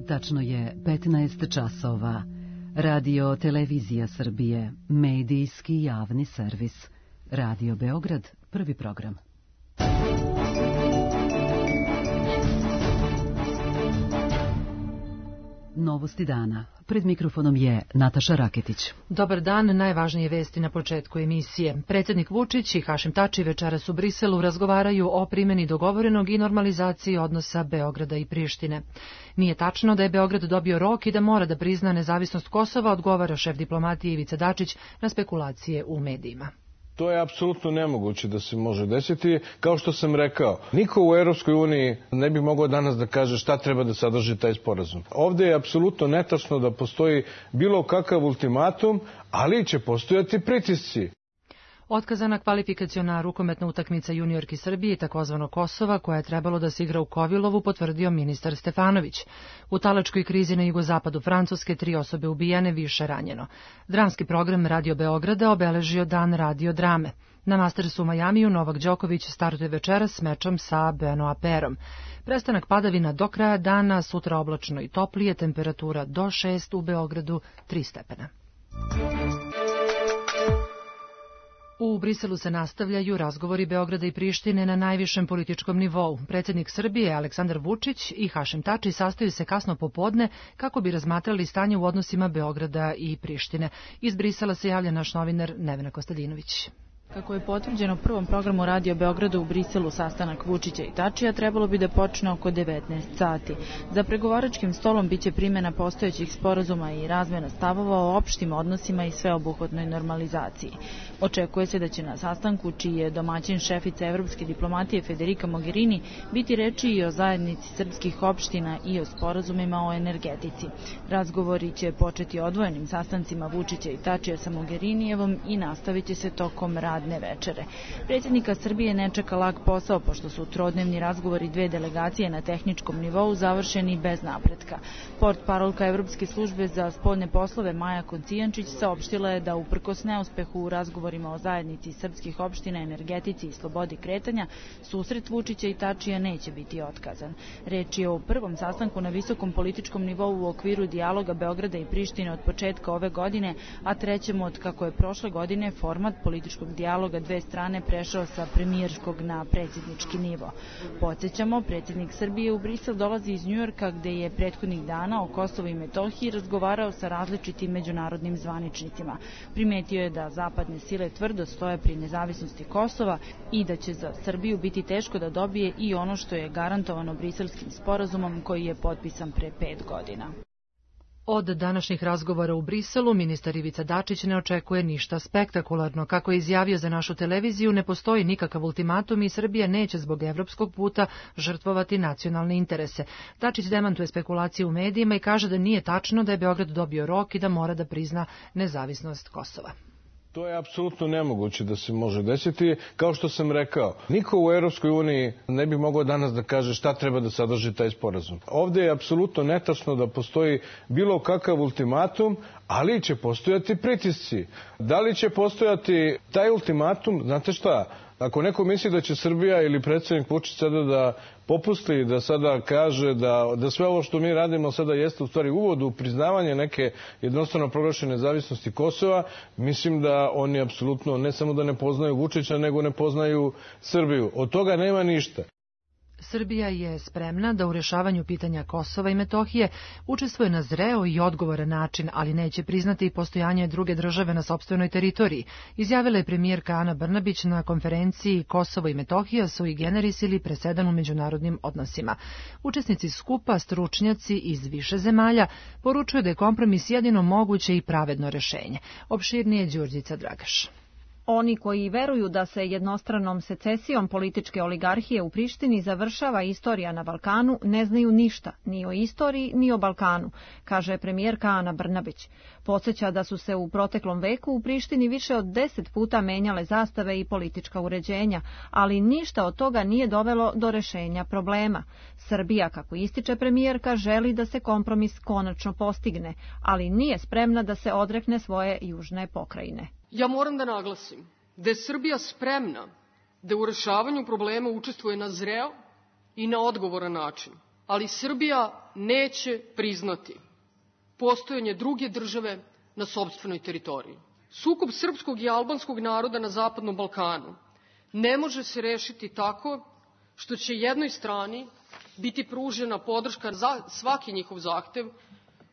Tačno je 15 časova. Radio Televizija Srbije, medijski javni servis. Radio Beograd, prvi program. Novosti dana. Pred mikrofonom je Nataša Raketić. Dobar dan, najvažnije vesti na početku emisije. Predsjednik Vučić i Hašim Tači večeras u Briselu razgovaraju o primjeni dogovorenog i normalizaciji odnosa Beograda i Prištine. Nije tačno da je Beograd dobio rok i da mora da prizna nezavisnost Kosova, odgovara šef diplomatije Ivica Dačić na spekulacije u medijima. To je apsolutno nemoguće da se može desiti. Kao što sam rekao, niko u Europskoj uniji ne bi mogao danas da kaže šta treba da sadrži taj sporazum. Ovdje je apsolutno netačno da postoji bilo kakav ultimatum, ali će postojati pritisci. Otkazana kvalifikaciona rukometna utakmica juniorki Srbije i takozvano Kosova, koja je trebalo da se igra u Kovilovu, potvrdio ministar Stefanović. U talačkoj krizi na jugozapadu Francuske 3 osobe ubijene, više ranjeno. Dramski program Radio Beograda obeležio dan radio drame. Na Mastersu u Majamiju Novak Đoković startuje večeras s mečom sa Benoit Pairom. Prestanak padavina do kraja dana, sutra oblačno i toplije, temperatura do 6, u Beogradu 3 stepena. U Briselu se nastavljaju razgovori Beograda i Prištine na najvišem političkom nivou. Predsjednik Srbije Aleksandar Vučić i Hašim Tači sastaju se kasno popodne kako bi razmatrali stanje u odnosima Beograda i Prištine. Iz Brisela se javlja naš novinar Nevena Kostadinović. Kako je potvrđeno prvom programu Radio Beograda u Briselu, sastanak Vučića i Tačija trebalo bi da počne oko 19 sati. Za pregovaračkim stolom biće primjena postojećih sporazuma i razmjena stavova o opštim odnosima i sveobuhvatnoj normalizaciji. Očekuje se da će na sastanku, čiji je domaćin šefica evropske diplomatije Federica Mogherini, biti reči i o zajednici srpskih opština i o sporazumima o energetici. Razgovori će početi odvojenim sastancima Vučića i Tačija sa Mogherinijevom i nastavit će se tokom radne večere. Predsjednika Srbije ne čeka lak posao, pošto su trodnevni razgovori dve delegacije na tehničkom nivou završeni bez napretka. Portparolka Evropske službe za spoljne poslove Maja Kocijančić saopštila je da uprkos neuspehu u razgovorima o zajednici srpskih opština, energetici i slobodi kretanja, susret Vučića i Tačija neće biti otkazan. Reč je o prvom sastanku na visokom političkom nivou u okviru dijaloga Beograda i Prištine od početka ove godine, a trećem od kako je prošle godine format političkog dijaloga dve strane prešao sa premijerskog na predsjednički nivo. Podsjećamo, predsjednik Srbije u Brisel dolazi iz Njujorka, gde je prethodnih dana o Kosovu i Metohiji razgovarao sa različitim međunarodnim zvaničnicima. Primetio je da zapadne sile tvrdo stoje pri nezavisnosti Kosova i da će za Srbiju biti teško da dobije i ono što je garantovano briselskim sporazumom koji je potpisan pre 5 godina. Od današnjih razgovora u Briselu ministar Ivica Dačić ne očekuje ništa spektakularno. Kako je izjavio za našu televiziju, ne postoji nikakav ultimatum i Srbija neće zbog evropskog puta žrtvovati nacionalne interese. Dačić demantuje spekulacije u medijima i kaže da nije tačno da je Beograd dobio rok i da mora da prizna nezavisnost Kosova. To je apsolutno nemoguće da se može desiti. Kao što sam rekao, niko u Europskoj uniji ne bi mogao danas da kaže šta treba da sadrži taj sporazum. Ovdje je apsolutno netačno da postoji bilo kakav ultimatum, ali će postojati pritisci. Da li će postojati taj ultimatum? Znate šta? Ako neko misli da će Srbija ili predsjednik Vučić sada da popusti, da sada kaže da sve ovo što mi radimo sada jeste u stvari uvod u priznavanje neke jednostavno proglašene nezavisnosti Kosova, mislim da oni apsolutno ne samo da ne poznaju Vučića, nego ne poznaju Srbiju. Od toga nema ništa. Srbija je spremna da u rješavanju pitanja Kosova i Metohije učestvuje na zreo i odgovoran način, ali neće priznati i postojanje druge države na sopstvenoj teritoriji, izjavila je premijerka Ana Brnabić na konferenciji Kosovo i Metohija sui generis ili presedan u međunarodnim odnosima. Učesnici skupa, stručnjaci iz više zemalja, poručuju da je kompromis jedino moguće i pravedno rješenje. Opširnije Đurđica Dragaš. Oni koji veruju da se jednostranom secesijom političke oligarhije u Prištini završava istorija na Balkanu, ne znaju ništa, ni o istoriji, ni o Balkanu, kaže premijerka Ana Brnabić. Podsjeća da su se u proteklom veku u Prištini više od 10 puta menjale zastave i politička uređenja, ali ništa od toga nije dovelo do rešenja problema. Srbija, kako ističe premijerka, želi da se kompromis konačno postigne, ali nije spremna da se odrekne svoje južne pokrajine. Ja moram da naglasim da je Srbija spremna da u rešavanju problema učestvuje na zreo i na odgovoran način, ali Srbija neće priznati postojanje druge države na sopstvenoj teritoriji. Sukob srpskog i albanskog naroda na Zapadnom Balkanu ne može se rešiti tako što će jednoj strani biti pružena podrška za svaki njihov zahtev,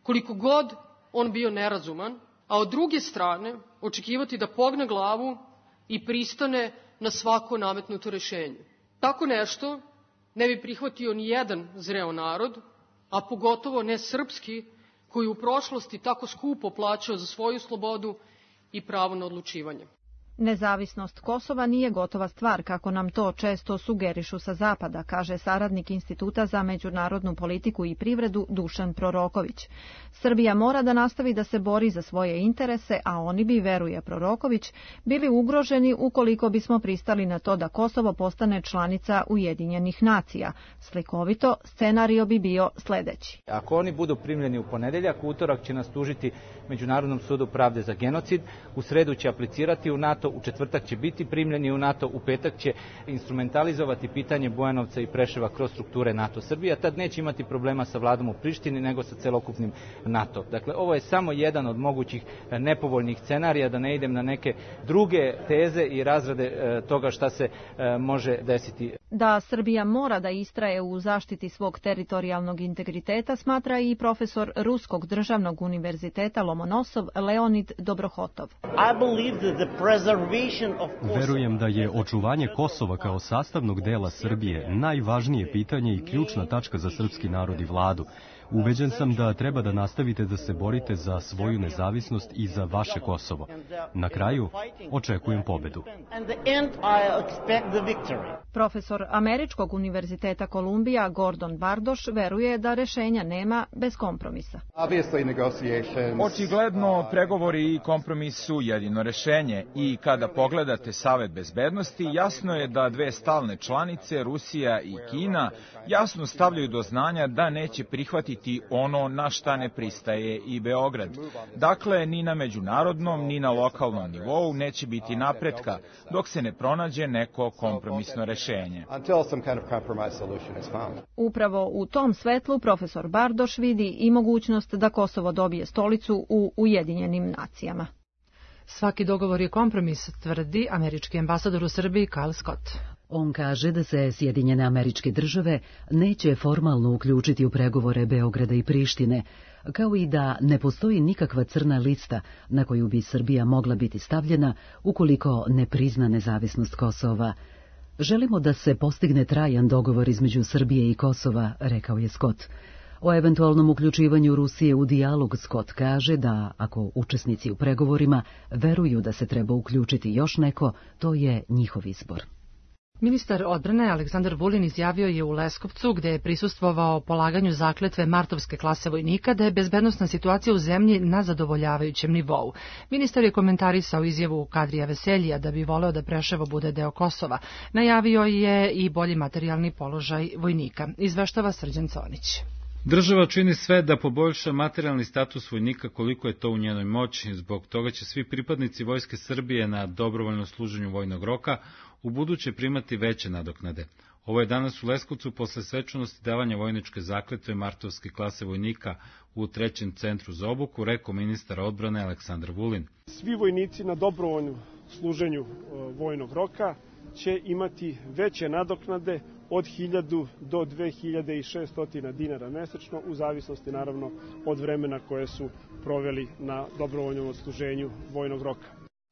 koliko god on bio nerazuman, a od druge strane očekivati da pogne glavu i pristane na svako nametnuto rešenje. Tako nešto ne bi prihvatio ni jedan zreo narod, a pogotovo ne srpski, koji u prošlosti tako skupo plaćao za svoju slobodu i pravo na odlučivanje. Nezavisnost Kosova nije gotova stvar, kako nam to često sugerišu sa zapada, kaže saradnik Instituta za međunarodnu politiku i privredu Dušan Proroković. Srbija mora da nastavi da se bori za svoje interese, a oni bi, veruje Proroković, bili ugroženi ukoliko bismo pristali na to da Kosovo postane članica Ujedinjenih nacija. Slikovito, scenario bi bio sledeći. Ako oni budu primljeni u ponedeljak, utorak će nas tužiti Međunarodnom sudu pravde za genocid, u sredu će aplicirati u NATO, u četvrtak će biti primljeni u NATO, u petak će instrumentalizovati pitanje Bujanovca i Preševa kroz strukture NATO. Srbija tad neće imati problema sa vladom u Prištini nego sa celokupnim NATO. Dakle, ovo je samo jedan od mogućih nepovoljnih scenarija, da ne idem na neke druge teze i razrade toga šta se može desiti. Da Srbija mora da istraje u zaštiti svog teritorijalnog integriteta, smatra i profesor Ruskog državnog univerziteta Lomonosov Leonid Dobrohotov. Verujem da je očuvanje Kosova kao sastavnog dela Srbije najvažnije pitanje i ključna tačka za srpski narod i vladu. Ubeđen sam da treba da nastavite da se borite za svoju nezavisnost i za vaše Kosovo. Na kraju, očekujem pobedu. Profesor Američkog univerziteta Kolumbija Gordon Bardoš veruje da rešenja nema bez kompromisa. Očigledno, pregovori i kompromis su jedino rešenje i kada pogledate Savet bezbednosti, jasno je da dve stalne članice, Rusija i Kina, jasno stavljaju do znanja da neće prihvatiti ono na šta ne pristaje i Beograd. Dakle, ni na međunarodnom, ni na lokalnom nivou neće biti napretka dok se ne pronađe neko kompromisno rešenje. Upravo u tom svetlu profesor Bardoš vidi i mogućnost da Kosovo dobije stolicu u Ujedinjenim nacijama. Svaki dogovor je kompromis, tvrdi američki ambasador u Srbiji Kyle Scott. On kaže da se Sjedinjene Američke Države neće formalno uključiti u pregovore Beograda i Prištine, kao i da ne postoji nikakva crna lista na koju bi Srbija mogla biti stavljena ukoliko ne prizna nezavisnost Kosova. Želimo da se postigne trajan dogovor između Srbije i Kosova, rekao je Scott. O eventualnom uključivanju Rusije u dijalog Scott kaže da, ako učesnici u pregovorima veruju da se treba uključiti još neko, to je njihov izbor. Ministar odbrane Aleksandar Vulin izjavio je u Leskovcu, gde je prisustvovao polaganju zakletve martovske klase vojnika, da je bezbednosna situacija u zemlji na zadovoljavajućem nivou. Ministar je komentarisao izjavu Kadrija Veseljija da bi voleo da Preševo bude deo Kosova. Najavio je i bolji materijalni položaj vojnika. Izveštava Srđan Conić. Država čini sve da poboljša materijalni status vojnika koliko je to u njenoj moći. Zbog toga će svi pripadnici Vojske Srbije na dobrovoljnom služenju vojnog roka u buduće primati veće nadoknade. Ovo je danas u Leskovcu posle svečanosti davanja vojničke zakletve martovske klase vojnika u 3. centru za obuku, rekao ministar odbrane Aleksandar Vulin. Svi vojnici na dobrovoljnom služenju vojnog roka će imati veće nadoknade od 1000 do 2600 dinara mesečno, u zavisnosti naravno od vremena koje su proveli na dobrovoljnom odsluženju vojnog roka.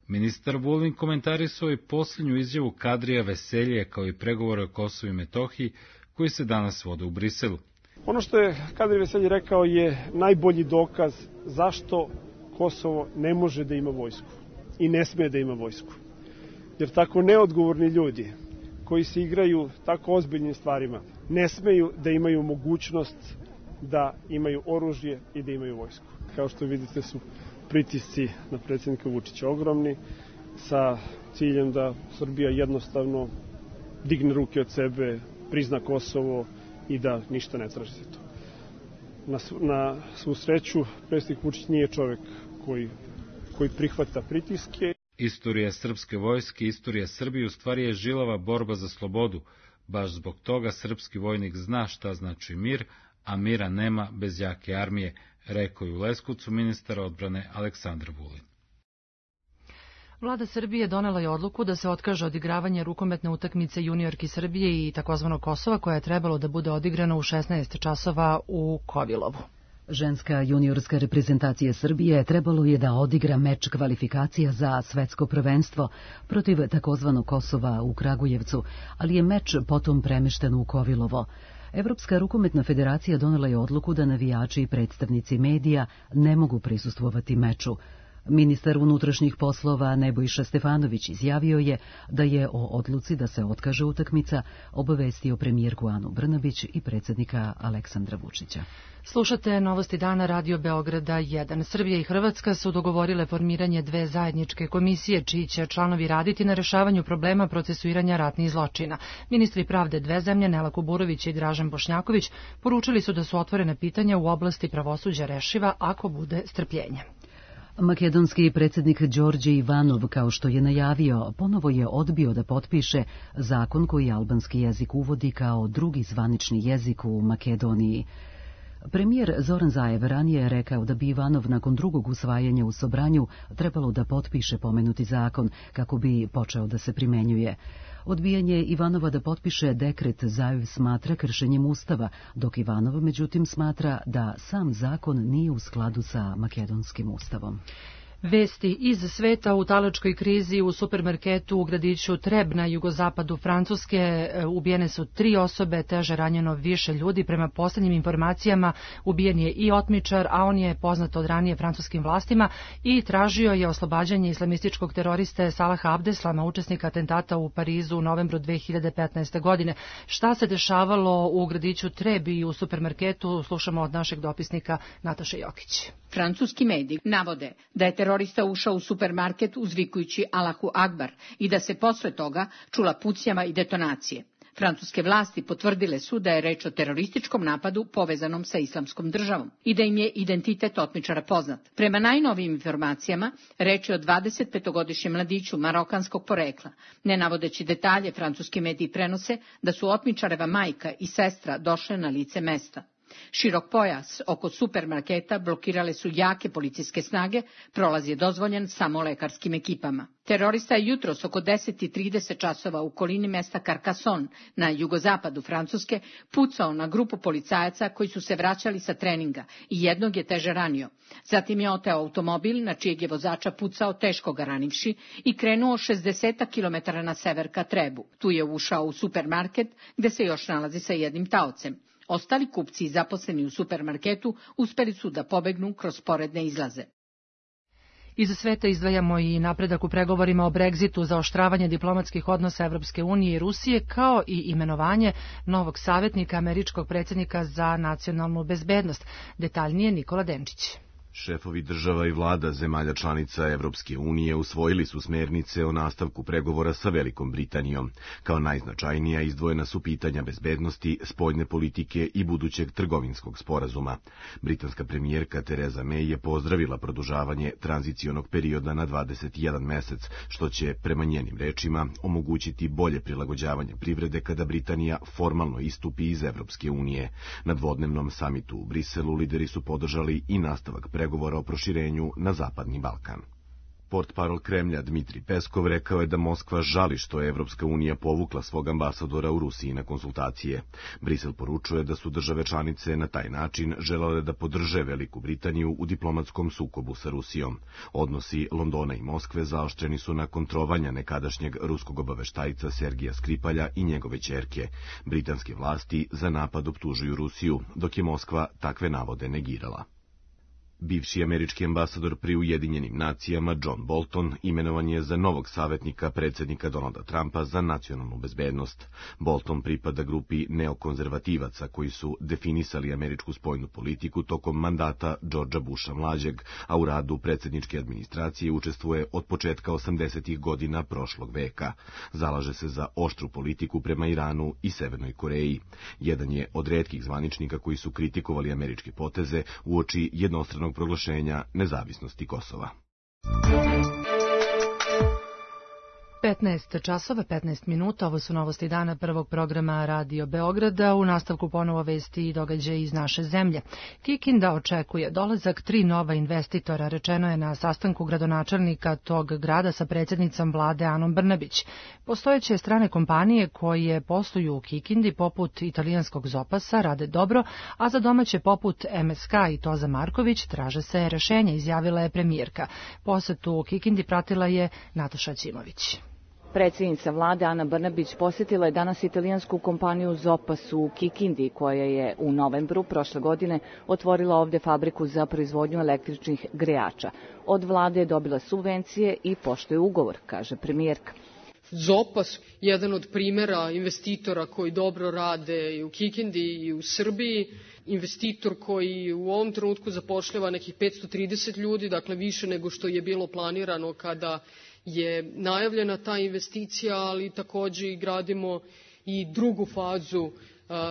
Ministar Vulin komentarisao i posljednju izjavu Kadrija Veseljija kao i pregovore o Kosovu i Metohiji koji se danas vode u Briselu. Ono što je Kadrij Veselji rekao je najbolji dokaz zašto Kosovo ne može da ima vojsku i ne sme da ima vojsku. Jer tako neodgovorni ljudi koji se igraju tako ozbiljnim stvarima ne smeju da imaju mogućnost da imaju oružje i da imaju vojsku. Kao što vidite su pritisci na predsjednika Vučića ogromni, sa ciljem da Srbija jednostavno digne ruke od sebe, prizna Kosovo i da ništa ne traži za to. Na svu sreću, predsjednik Vučić nije čovjek koji prihvata pritiske. Istorija srpske vojske, istorija Srbije u stvari je žilava borba za slobodu. Baš zbog toga srpski vojnik zna šta znači mir, a mira nema bez jake armije, rekao je u Leskovcu ministar odbrane Aleksandar Vulin. Vlada Srbije donela je odluku da se otkaže odigravanje rukometne utakmice juniorki Srbije i takozvanog Kosova, koja je trebalo da bude odigrana u 16 časova u Kovilovu. Ženska juniorska reprezentacija Srbije trebalo je da odigra meč kvalifikacija za svetsko prvenstvo protiv takozvanog Kosova u Kragujevcu, ali je meč potom premešten u Kovilovo. Evropska rukometna federacija donela je odluku da navijači i predstavnici medija ne mogu prisustvovati meču. Ministar unutrašnjih poslova Nebojša Stefanović izjavio je da je o odluci da se otkaže utakmica obavestio premijerku Anu Brnabić i predsjednika Aleksandra Vučića. Slušate Novosti dana Radio Beograda 1. Srbija i Hrvatska su dogovorile formiranje dve zajedničke komisije, čiji će članovi raditi na rešavanju problema procesuiranja ratnih zločina. Ministri pravde dve zemlje, Nela Kuburović i Dražen Bošnjaković, poručili su da su otvorene pitanja u oblasti pravosuđa rešiva ako bude strpljenja. Makedonski predsjednik Đorđe Ivanov, kao što je najavio, ponovo je odbio da potpiše zakon koji albanski jezik uvodi kao drugi zvanični jezik u Makedoniji. Premijer Zoran Zaev ranije je rekao da bi Ivanov nakon drugog usvajanja u Sobranju trebalo da potpiše pomenuti zakon kako bi počeo da se primenjuje. Odbijanje Ivanova da potpiše dekret Zaev smatra kršenjem Ustava, dok Ivanov međutim smatra da sam zakon nije u skladu sa makedonskim ustavom. Vesti iz sveta: u talačkoj krizi u supermarketu u gradiću Treb na jugozapadu Francuske ubijene su 3 osobe, teže ranjeno više ljudi. Prema posljednjim informacijama ubijen je i otmičar, a on je poznat od ranije francuskim vlastima i tražio je oslobađanje islamističkog teroriste Salaha Abdeslama, učesnika atentata u Parizu u novembru 2015. godine. Šta se dešavalo u gradiću Treb i u supermarketu, slušamo od našeg dopisnika Nataše Jokić. Francuski mediji navode da je terorista ušao u supermarket uzvikujući Allahu Akbar i da se posle toga čula pucnjava i detonacije. Francuske vlasti potvrdile su da je reč o terorističkom napadu povezanom sa Islamskom državom i da im je identitet otmičara poznat. Prema najnovijim informacijama, reč je o 25-godišnjem mladiću marokanskog porekla. Ne navodeći detalje, francuski mediji prenose da su otmičareva majka i sestra došle na lice mesta. Širok pojas oko supermarketa blokirale su jake policijske snage, prolaz je dozvoljen samo lekarskim ekipama. Terorista je jutros oko 10:30 časova u okolini mesta Carcassonne na jugozapadu Francuske pucao na grupu policajaca koji su se vraćali sa treninga i jednog je teže ranio. Zatim je oteo automobil na čijeg je vozača pucao, teško ga ranivši, i krenuo 60 km na sever ka Trebu. Tu je ušao u supermarket gde se još nalazi sa jednim taocem. Ostali kupci i zaposleni u supermarketu uspeli su da pobegnu kroz sporedne izlaze. Iz sveta izdvajamo i napredak u pregovorima o Brexitu, zaoštravanje diplomatskih odnosa Evropske unije i Rusije, kao i imenovanje novog savjetnika američkog predsjednika za nacionalnu bezbednost. Detaljnije Nikola Denčić. Šefovi država i vlada zemalja članica Evropske unije usvojili su smernice o nastavku pregovora sa Velikom Britanijom. Kao najznačajnija izdvojena su pitanja bezbednosti, spoljne politike i budućeg trgovinskog sporazuma. Britanska premijerka Tereza May je pozdravila produžavanje tranzicionog perioda na 21 mesec, što će, prema njenim rečima, omogućiti bolje prilagođavanje privrede kada Britanija formalno istupi iz Evropske unije. Na dvodnevnom samitu u Briselu lideri su podržali i nastavak pregovora o proširenju na Zapadni Balkan. Portparol Kremlja Dmitri Peskov rekao je da Moskva žali što je Evropska unija povukla svog ambasadora u Rusiji na konsultacije. Brisel poručuje da su države članice na taj način želele da podrže Veliku Britaniju u diplomatskom sukobu sa Rusijom. Odnosi Londona i Moskve zaoštreni su nakon trovanja nekadašnjeg ruskog obaveštajca Sergija Skripalja i njegove ćerke. Britanske vlasti za napad optužuju Rusiju, dok je Moskva takve navode negirala. Bivši američki ambasador pri Ujedinjenim nacijama John Bolton imenovan je za novog savjetnika predsjednika Donalda Trumpa za nacionalnu bezbednost. Bolton pripada grupi neokonzervativaca koji su definisali američku spoljnu politiku tokom mandata Georgea Busha mlađeg, a u radu predsjedničke administracije učestvuje od početka 80. godina prošlog veka. Zalaže se za oštru politiku prema Iranu i Severnoj Koreji. Jedan je od retkih zvaničnika koji su kritikovali američke poteze uoči jednostranog proglašenja nezavisnosti Kosova. 15 časova, 15 minuta, ovo su novosti dana prvog programa Radio Beograda, u nastavku ponovo vesti i događaje iz naše zemlje. Kikinda očekuje dolazak 3 nova investitora, rečeno je na sastanku gradonačelnika tog grada sa predsjednicom vlade Anom Brnabić. Postojeće strane kompanije koje posluju u Kikindi, poput italijanskog Zopasa, rade dobro, a za domaće poput MSK i Toza Marković traže se rešenja, izjavila je premijerka. Posetu u Kikindi pratila je Nataša Ćimović. Predsjednica vlade Ana Brnabić posjetila je danas italijansku kompaniju Zopas u Kikindi, koja je u novembru prošle godine otvorila ovdje fabriku za proizvodnju električnih grejača. Od vlade je dobila subvencije i poštuje ugovor, kaže premijerka. Zopas, jedan od primjera investitora koji dobro rade i u Kikindi i u Srbiji, investitor koji u ovom trenutku zapošljava nekih 530 ljudi, dakle više nego što je bilo planirano kada je najavljena ta investicija, ali također gradimo i drugu fazu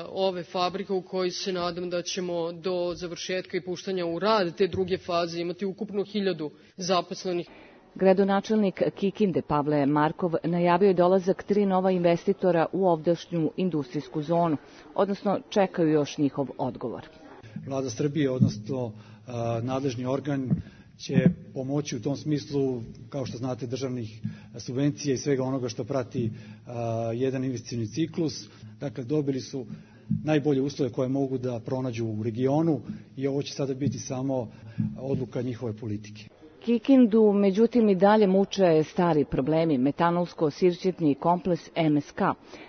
ove fabrike u kojoj se nadam da ćemo do završetka i puštanja u rad te druge faze imati ukupno 1000 zaposlenih. Gradonačelnik Kikinde Pavle Markov najavio je dolazak 3 nova investitora u ovdašnju industrijsku zonu, odnosno čekaju još njihov odgovor. Vlada Srbije, odnosno nadležni organ, će pomoći u tom smislu, kao što znate, državnih subvencija i svega onoga što prati jedan investicioni ciklus. Dakle, dobili su najbolje uslove koje mogu da pronađu u regionu i ovo će sada biti samo odluka njihove politike. Kikindu, međutim, i dalje muče stari problemi, metanolsko-sirćetni kompleks MSK.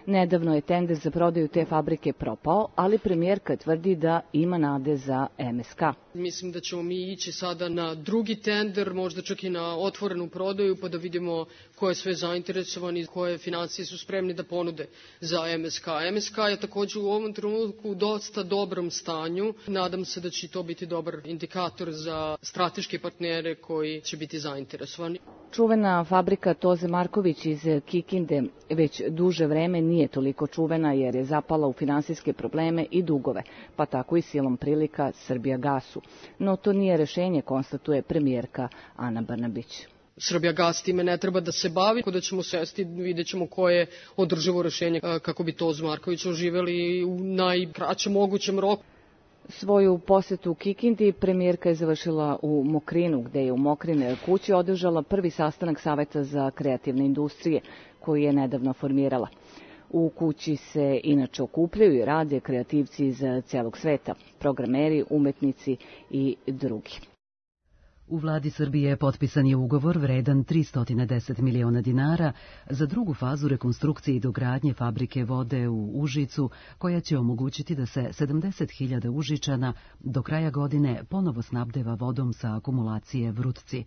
Nedavno je tender za prodaju te fabrike propao, ali premijerka tvrdi da ima nade za MSK. Mislim da ćemo mi ići sada na drugi tender, možda čak i na otvorenu prodaju, pa da vidimo ko je sve zainteresovan i koje financije su spremni da ponude za MSK. MSK je također u ovom trenutku u dosta dobrom stanju. Nadam se da će to biti dobar indikator za strateške partnere koji će biti zainteresovani. Čuvena fabrika Toze Marković iz Kikinde već duže vreme nije toliko čuvena jer je zapala u finansijske probleme i dugove, pa tako i silom prilika Srbijagasu. No to nije rešenje, konstatuje premijerka Ana Brnabić. Srbijagas time ne treba da se bavi, da ćemo sesti, vidjet ćemo koje je održivo rešenje kako bi Tozu Marković oživeli u najkraćem mogućem roku. Svoju posetu u Kikindi premijerka je završila u Mokrinu, gde je u Mokrine kući održala prvi sastanak Saveta za kreativne industrije, koji je nedavno formirala. U kući se inače okupljaju i rade kreativci iz celog sveta, programeri, umetnici i drugi. U vladi Srbije potpisan je ugovor vredan 310 miliona dinara za drugu fazu rekonstrukcije i dogradnje fabrike vode u Užicu, koja će omogućiti da se 70.000 Užičana do kraja godine ponovo snabdeva vodom sa akumulacije Vrutci.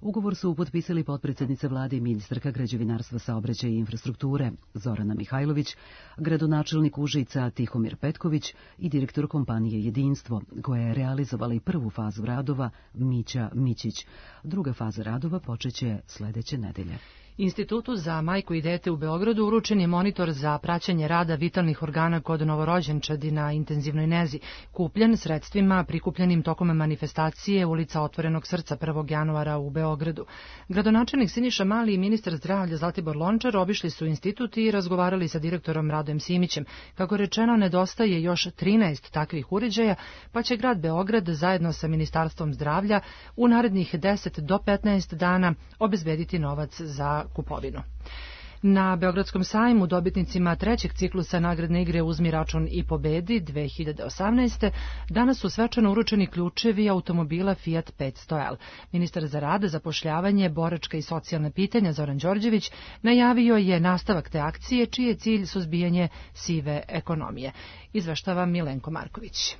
Ugovor su potpisali potpredsjednica vlade i ministarka građevinarstva, saobraćaja i infrastrukture Zorana Mihajlović, gradonačelnik Užica Tihomir Petković i direktor kompanije Jedinstvo, koja je realizovala i prvu fazu radova Mića Mićić. Druga faza radova počeće sledeće nedelje. Institutu za majku i dete u Beogradu uručen je monitor za praćenje rada vitalnih organa kod novorođenčadi na intenzivnoj nezi, kupljen sredstvima prikupljenim tokom manifestacije ulica Otvorenog srca 1. januara u Beogradu. Gradonačelnik Siniša Mali i ministar zdravlja Zlatibor Lončar obišli su institut i razgovarali sa direktorom Radojem Simićem. Kako rečeno, nedostaje još 13 takvih uređaja, pa će grad Beograd zajedno sa Ministarstvom zdravlja u narednih 10 do 15 dana obezbediti novac za kupovinu. Na Beogradskom sajmu dobitnicima trećeg ciklusa nagradne igre Uzmi račun i pobedi 2018. danas su svečano uručeni ključevi automobila Fiat 500L. Ministar za rad, zapošljavanje, boračka i socijalna pitanja Zoran Đorđević najavio je nastavak te akcije, čiji je cilj suzbijanje sive ekonomije. Izveštava Milenko Marković.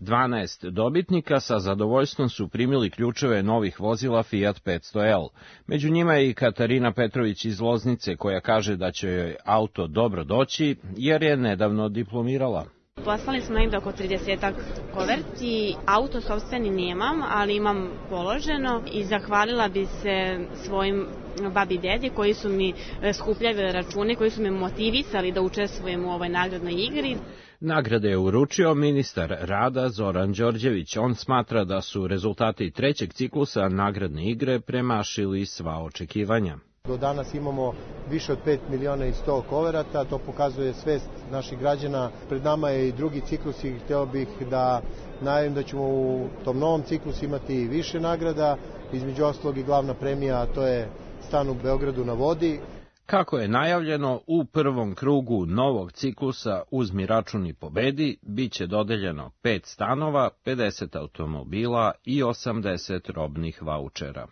12 dobitnika sa zadovoljstvom su primili ključeve novih vozila Fiat 500L. Među njima je i Katarina Petrović iz Loznice, koja kaže da će joj auto dobro doći jer je nedavno diplomirala. Poslali smo negdje oko 30 koverti, auto sopstveni nemam, ali imam položeno i zahvalila bi se svojim babi i dedi koji su mi skupljali račune, koji su me motivisali da učestvujem u ovoj nagradnoj igri. Nagrade je uručio ministar rada Zoran Đorđević. On smatra da su rezultati trećeg ciklusa nagradne igre premašili sva očekivanja. Do danas imamo više od 5 miliona i 100 koverata, to pokazuje svest naših građana. Pred nama je i drugi ciklus i hteo bih da najavim da ćemo u tom novom ciklusu imati više nagrada, između ostalog i glavna premija, a to je stan u Beogradu na vodi. Kako je najavljeno, u prvom krugu novog ciklusa Uzmi račun i pobedi biće dodeljeno 5 stanova, 50 automobila i 80 robnih vaučera.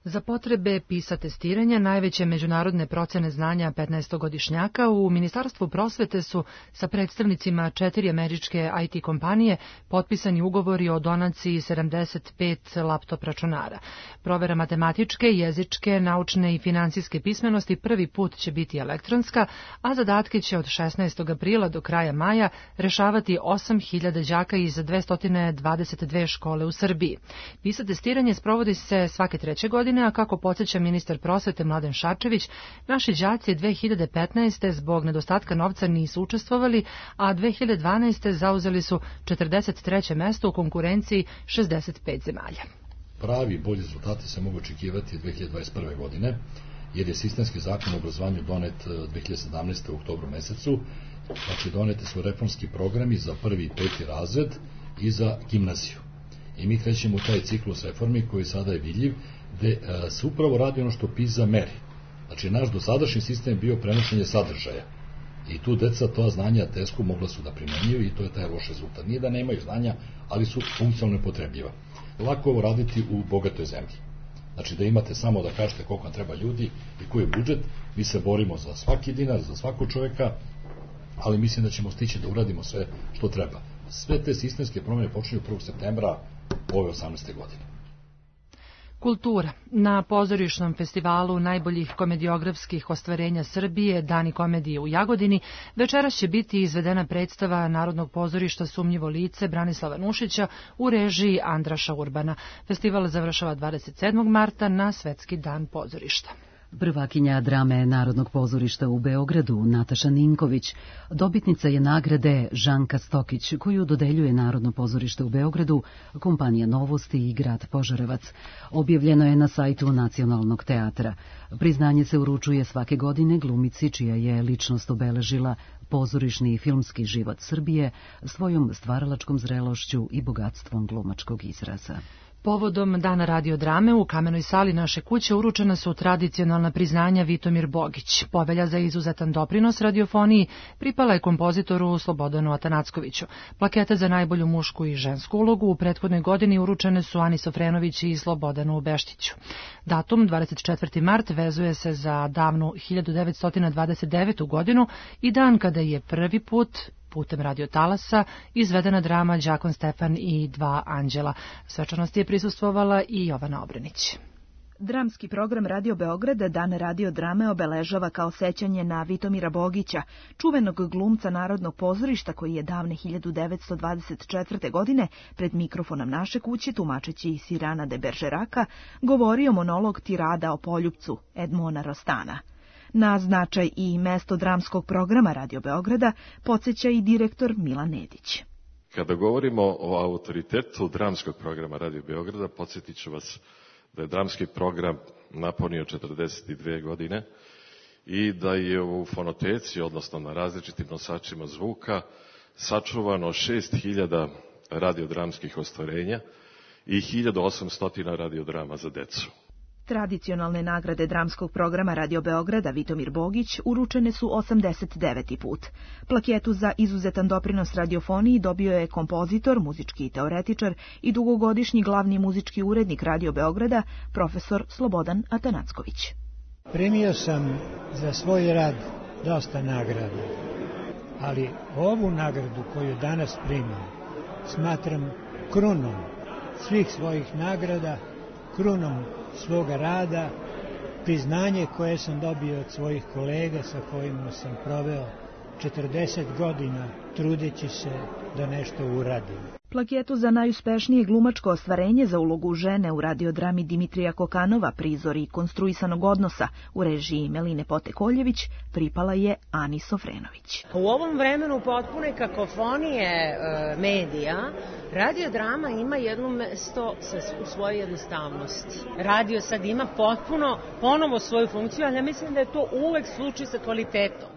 Za potrebe PISA testiranja najveće međunarodne procene znanja 15-godišnjaka u Ministarstvu prosvete su sa predstavnicima 4 američke IT kompanije potpisani ugovori o donaciji 75 laptop računara. Provera matematičke, jezičke, naučne i finansijske pismenosti prvi put će biti elektronska, a zadatke će od 16. aprila do kraja maja rešavati 8.000 đaka iz 222 škole u Srbiji. PISA testiranje sprovodi se svake 3. godine, a kako podsjeća ministar prosvete Mladen Šarčević, naši đaci 2015. zbog nedostatka novca nisu učestvovali, a 2012. zauzeli su 43. mesto u konkurenciji 65 zemalja. Pravi bolji rezultati se mogu očekivati 2021. godine, jer je sistemski zakon o obrazovanju donet 2017. u oktobru mesecu. Znači, donete su reformski programi za 1. i 5. razred i za gimnaziju. I mi krećemo u taj ciklus reformi koji sada je vidljiv, gde se upravo radi ono što PISA meri. Znači, naš dosadašnji sistem je bio prenošenje sadržaja. I tu deca to znanja teško mogla su da primenjuju i to je taj loš rezultat. Nije da nemaju znanja, ali su funkcionalno potrebljiva. Lako ovo raditi u bogatoj zemlji. Znači, da imate samo da kažete koliko vam treba ljudi i koji je budžet, mi se borimo za svaki dinar, za svakog čoveka, ali mislim da ćemo stići da uradimo sve što treba. Sve te sistemske promjene počinju 1. septembra ove 18. godine. Kultura. Na pozorišnom festivalu najboljih komediografskih ostvarenja Srbije, Dani komedije u Jagodini, večeras će biti izvedena predstava Narodnog pozorišta Sumnjivo lice Branislava Nušića u režiji Andraša Urbana. Festival završava 27. marta na Svetski dan pozorišta. Prvakinja drame Narodnog pozorišta u Beogradu, Nataša Ninković, dobitnica je nagrade Žanka Stokić, koju dodeljuje Narodno pozorište u Beogradu, kompanija Novosti i grad Požarevac. Objavljeno je na sajtu Nacionalnog teatra. Priznanje se uručuje svake godine glumici čija je ličnost obeležila pozorišni i filmski život Srbije svojom stvaralačkom zrelošću i bogatstvom glumačkog izraza. Povodom Dana radiodrame u Kamenoj sali naše kuće uručena su tradicionalna priznanja Vitomir Bogić. Povelja za izuzetan doprinos radiofoniji pripala je kompozitoru Slobodanu Atanackoviću. Plakete za najbolju mušku i žensku ulogu u prethodnoj godini uručene su Ani Sofrenović i Slobodanu Beštiću. Datum 24. mart vezuje se za davnu 1929. godinu i dan kada je prvi put putem radiotalasa izvedena drama Đakon Stefan i dva anđela. Svečanosti je prisustvovala i Jovana Obrenić. Dramski program Radio Beograda Dan radiodrame obeležava kao sećanje na Vitomira Bogića, čuvenog glumca Narodnog pozorišta koji je davne 1924. godine pred mikrofonom naše kuće, tumačeći Sirana de Beržeraka, govorio monolog tirada o poljupcu Edmona Rostana. Na značaj i mesto dramskog programa Radio Beograda podsjeća i direktor Milan Nedić. Kada govorimo o autoritetu dramskog programa Radio Beograda, podsjetit ću vas da je dramski program napunio 42 godine i da je u fonoteci, odnosno na različitim nosačima zvuka, sačuvano 6000 radiodramskih ostvarenja i 1800 radiodrama za decu. Tradicionalne nagrade dramskog programa Radio Beograda Vitomir Bogić uručene su 89. put. Plaketu za izuzetan doprinos radiofoniji dobio je kompozitor, muzički teoretičar i dugogodišnji glavni muzički urednik Radio Beograda, profesor Slobodan Atanacković. Primio sam za svoj rad dosta nagrada, ali ovu nagradu koju danas primam smatram krunom svih svojih nagrada, krunom svoga rada, priznanje koje sam dobio od svojih kolega sa kojima sam proveo 40 godina trudeći se da nešto uradim. Plaketu za najuspešnije glumačko ostvarenje za ulogu žene u radiodrami Dimitrija Kokanova Prizori konstruisanog odnosa u režiji Meline Potekoljević pripala je Ani Sofrenović. U ovom vremenu potpune kakofonije medija, radiodrama ima jedno mesto u svojoj jednostavnosti. Radio sad ima ponovo svoju funkciju, ali ja mislim da je to uvek slučaj sa kvalitetom.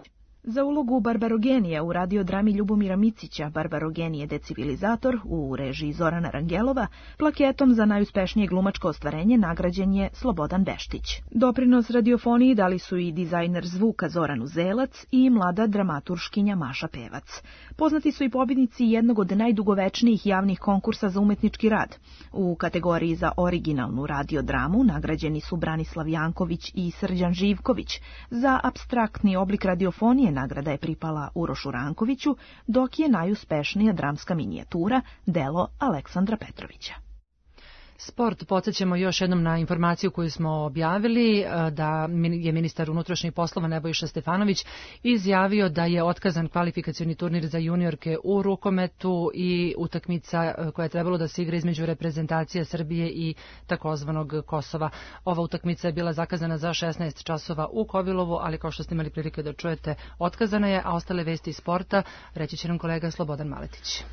Za ulogu Barbarogenija u radiodrami Ljubomira Micića Barbarogenije decivilizator u režiji Zorana Rangelova plaketom za najuspešnije glumačko ostvarenje nagrađen je Slobodan Beštić. Doprinos radiofoniji dali su i dizajner zvuka Zoran Uzelac i mlada dramaturškinja Maša Pevac. Poznati su i pobjednici jednog od najdugovečnijih javnih konkursa za umetnički rad. U kategoriji za originalnu radiodramu nagrađeni su Branislav Janković i Srđan Živković. Za apstraktni oblik radiofonije nagrada je pripala Urošu Rankoviću, dok je najuspešnija dramska minijatura delo Aleksandra Petrovića. Sport, podsjećamo još jednom na informaciju koju smo objavili, da je ministar unutrašnjih poslova Nebojša Stefanović izjavio da je otkazan kvalifikacioni turnir za juniorke u rukometu i utakmica koja je trebalo da se igra između reprezentacija Srbije i takozvanog Kosova. Ova utakmica je bila zakazana za 16 časova u Kovilovu, ali kao što ste imali prilike da čujete, otkazana je, a ostale vesti iz sporta reći će nam kolega Slobodan Maletić.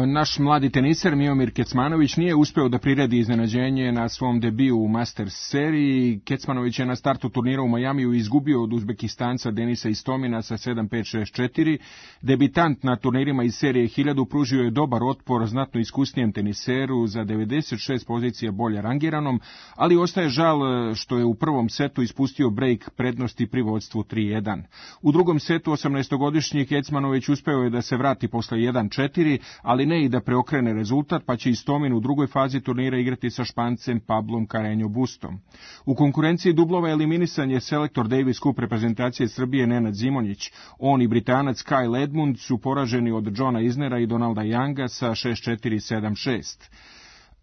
Naš mladi teniser Miomir Kecmanović nije uspeo da priredi iznenađenje na svom debiju u Masters seriji. Kecmanović je na startu turnira u Majamiju izgubio od Uzbekistanca Denisa Istomina sa 7-5-6-4. Debitant na turnirima iz serije 1000 pružio je dobar otpor znatno iskusnijem teniseru za 96 pozicija bolje rangiranom, ali ostaje žal što je u prvom setu ispustio break prednosti pri vodstvu 3-1. U drugom setu 18-godišnji Kecmanović uspeo je da se vrati posle 1-4, ali ne i da preokrene rezultat, pa će Istomin u drugoj fazi turnira igrati sa Špancem Pablom Carreño Bustom. U konkurenciji dublova eliminisan je selektor Davis Cup reprezentacije Srbije Nenad Zimonjić. On i Britanac Kyle Edmund su poraženi od Johna Isnera i Donalda Younga sa 6-4 i 7-6.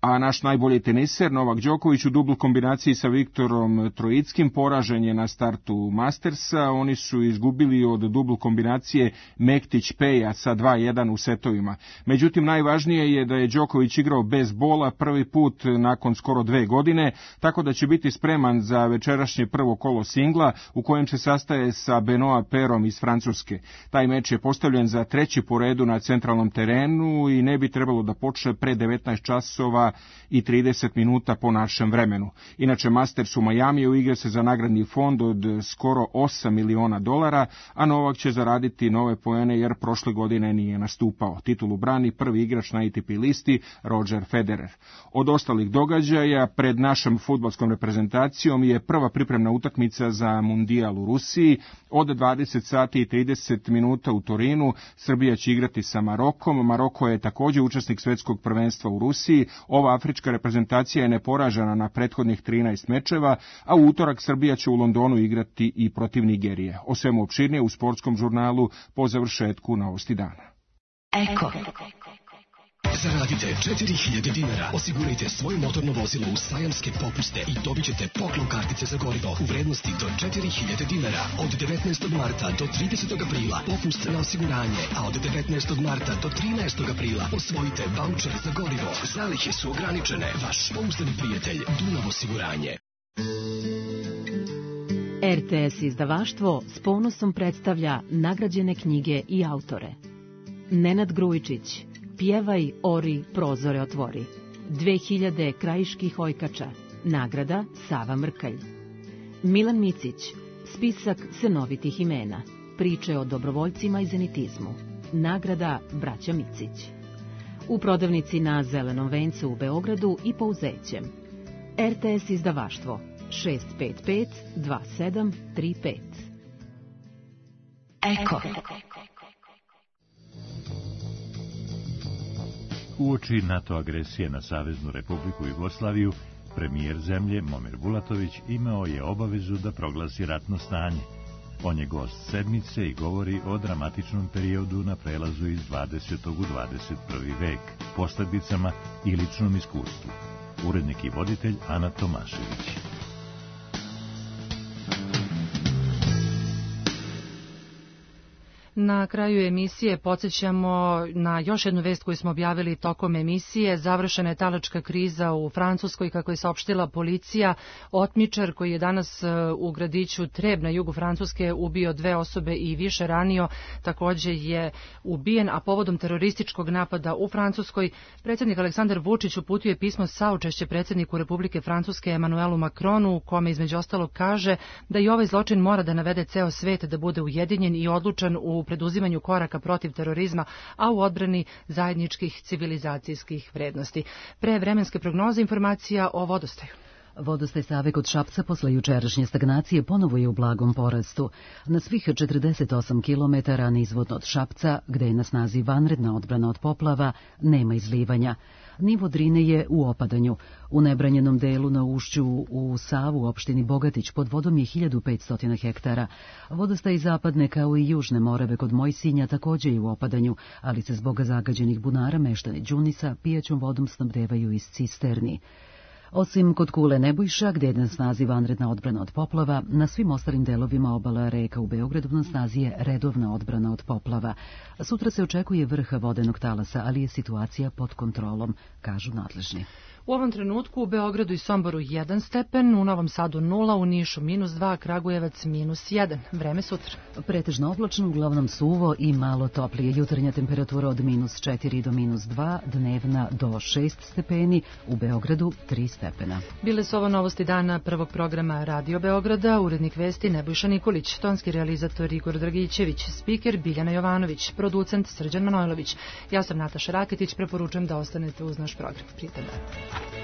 A naš najbolji teniser Novak Đoković u dubl kombinaciji sa Viktorom Trojickim poražen je na startu Mastersa. Oni su izgubili od dubl kombinacije Mektić-Peja sa 2-1 u setovima. Međutim, najvažnije je da je Đoković igrao bez bola prvi put nakon skoro 2 godine, tako da će biti spreman za večerašnje prvo kolo singla u kojem se sastaje sa Benoit Perom iz Francuske. Taj meč je postavljen za 3. po redu na centralnom terenu i ne bi trebalo da počne pre 19 časova i 30 minuta po našem vremenu. Inače, Masters u Majamiju igra se za nagradni fond od skoro $8 miliona, a Novak će zaraditi nove poene jer prošle godine nije nastupao. Titulu brani prvi igrač na ATP listi Roger Federer. Od ostalih događaja pred našom fudbalskom reprezentacijom je prva pripremna utakmica za Mundijal u Rusiji. Od 20 sati i 30 minuta u Torinu Srbija će igrati sa Marokom. Maroko je također učesnik svetskog prvenstva u Rusiji. Ova afrička reprezentacija je neporažena na prethodnih 13 mečeva, a u utorak Srbija će u Londonu igrati i protiv Nigerije. O svemu opširnije u sportskom žurnalu po završetku Novosti dana. Eko. Zaradite 4000 dinara, osigurajte svoje motorno vozilo u sajamske popuste i dobit ćete poklon kartice za gorivo u vrednosti do 4000 dinara. Od 19. marta do 30. aprila popust na osiguranje, a od 19. marta do 13. aprila osvojite vaučer za gorivo. Zalihe su ograničene. Vaš pouzdani prijatelj Dunav osiguranje. RTS izdavaštvo s ponosom predstavlja nagrađene knjige i autore. Nenad Grujičić, Pjevaj, ori, prozore otvori. 2000 krajiških ojkača. Nagrada Sava Mrkalj. Milan Micić, spisak senovitih imena. Priče o dobrovoljcima i zenitizmu. Nagrada Braća Micić. U prodavnici na Zelenom vencu u Beogradu i po Uzećem. RTS izdavaštvo 655 2735. Eko. Uoči NATO agresije na Saveznu Republiku Jugoslaviju, premijer zemlje Momir Bulatović imao je obavezu da proglasi ratno stanje. On je gost sedmice i govori o dramatičnom periodu na prelazu iz 20. u 21. vek, posljedicama i ličnom iskustvu. Urednik i voditelj Ana Tomašević. Na kraju emisije podsjećamo na još jednu vest koju smo objavili tokom emisije. Završena je talačka kriza u Francuskoj, kako je saopštila policija. Otmičar koji je danas u gradiću Treb na jugu Francuske ubio 2 osobe i više ranio, takođe je ubijen, a povodom terorističkog napada u Francuskoj predsjednik Aleksandar Vučić uputio je pismo saučešće predsjedniku Republike Francuske Emanuelu Macronu, u kome između ostalog kaže da i ovaj zločin mora da navede ceo svet da bude ujedinjen i odlučan u preduzimanju koraka protiv terorizma, a u odbrani zajedničkih civilizacijskih vrednosti. Pre vremenske prognoze informacija o vodostaju. Vodostaj Save kod Šapca posle jučerašnje stagnacije ponovo je u blagom porastu. Na svih 48 km nizvodno od Šapca, gde je na snazi vanredna odbrana od poplava, nema izlivanja. Nivo Drine je u opadanju. U nebranjenom delu na ušću u Savu u opštini Bogatić pod vodom je 1500 hektara. Vodostaj zapadne kao i južne Morave kod Mojsinja takođe je u opadanju, ali se zbog zagađenih bunara meštani Đunisa pijaćom vodom snabdevaju iz cisterni. Osim kod Kule Nebojša, gde je na snazi vanredna odbrana od poplava, na svim ostalim delovima obala reka u Beogradu na snazi je redovna odbrana od poplava. Sutra se očekuje vrh vodenog talasa, ali je situacija pod kontrolom, kažu nadležni. U ovom trenutku u Beogradu i Somboru 1 stepen, u Novom Sadu 0, u Nišu -2, Kragujevac -1. Vreme sutra. Pretežno oblačno, uglavnom suvo i malo toplije. Jutarnja temperatura od -4 do -2, dnevna do 6 stepeni, u Beogradu 3 stepena. Bile su ovo novosti dana prvog programa Radio Beograda, urednik vesti Nebojša Nikolić, tonski realizator Igor Dragićević, spiker Biljana Jovanović, producent Srđan Manojlović. Ja sam Nataša Raketić, preporučujem da ostanete uz naš program. Prijetan dan.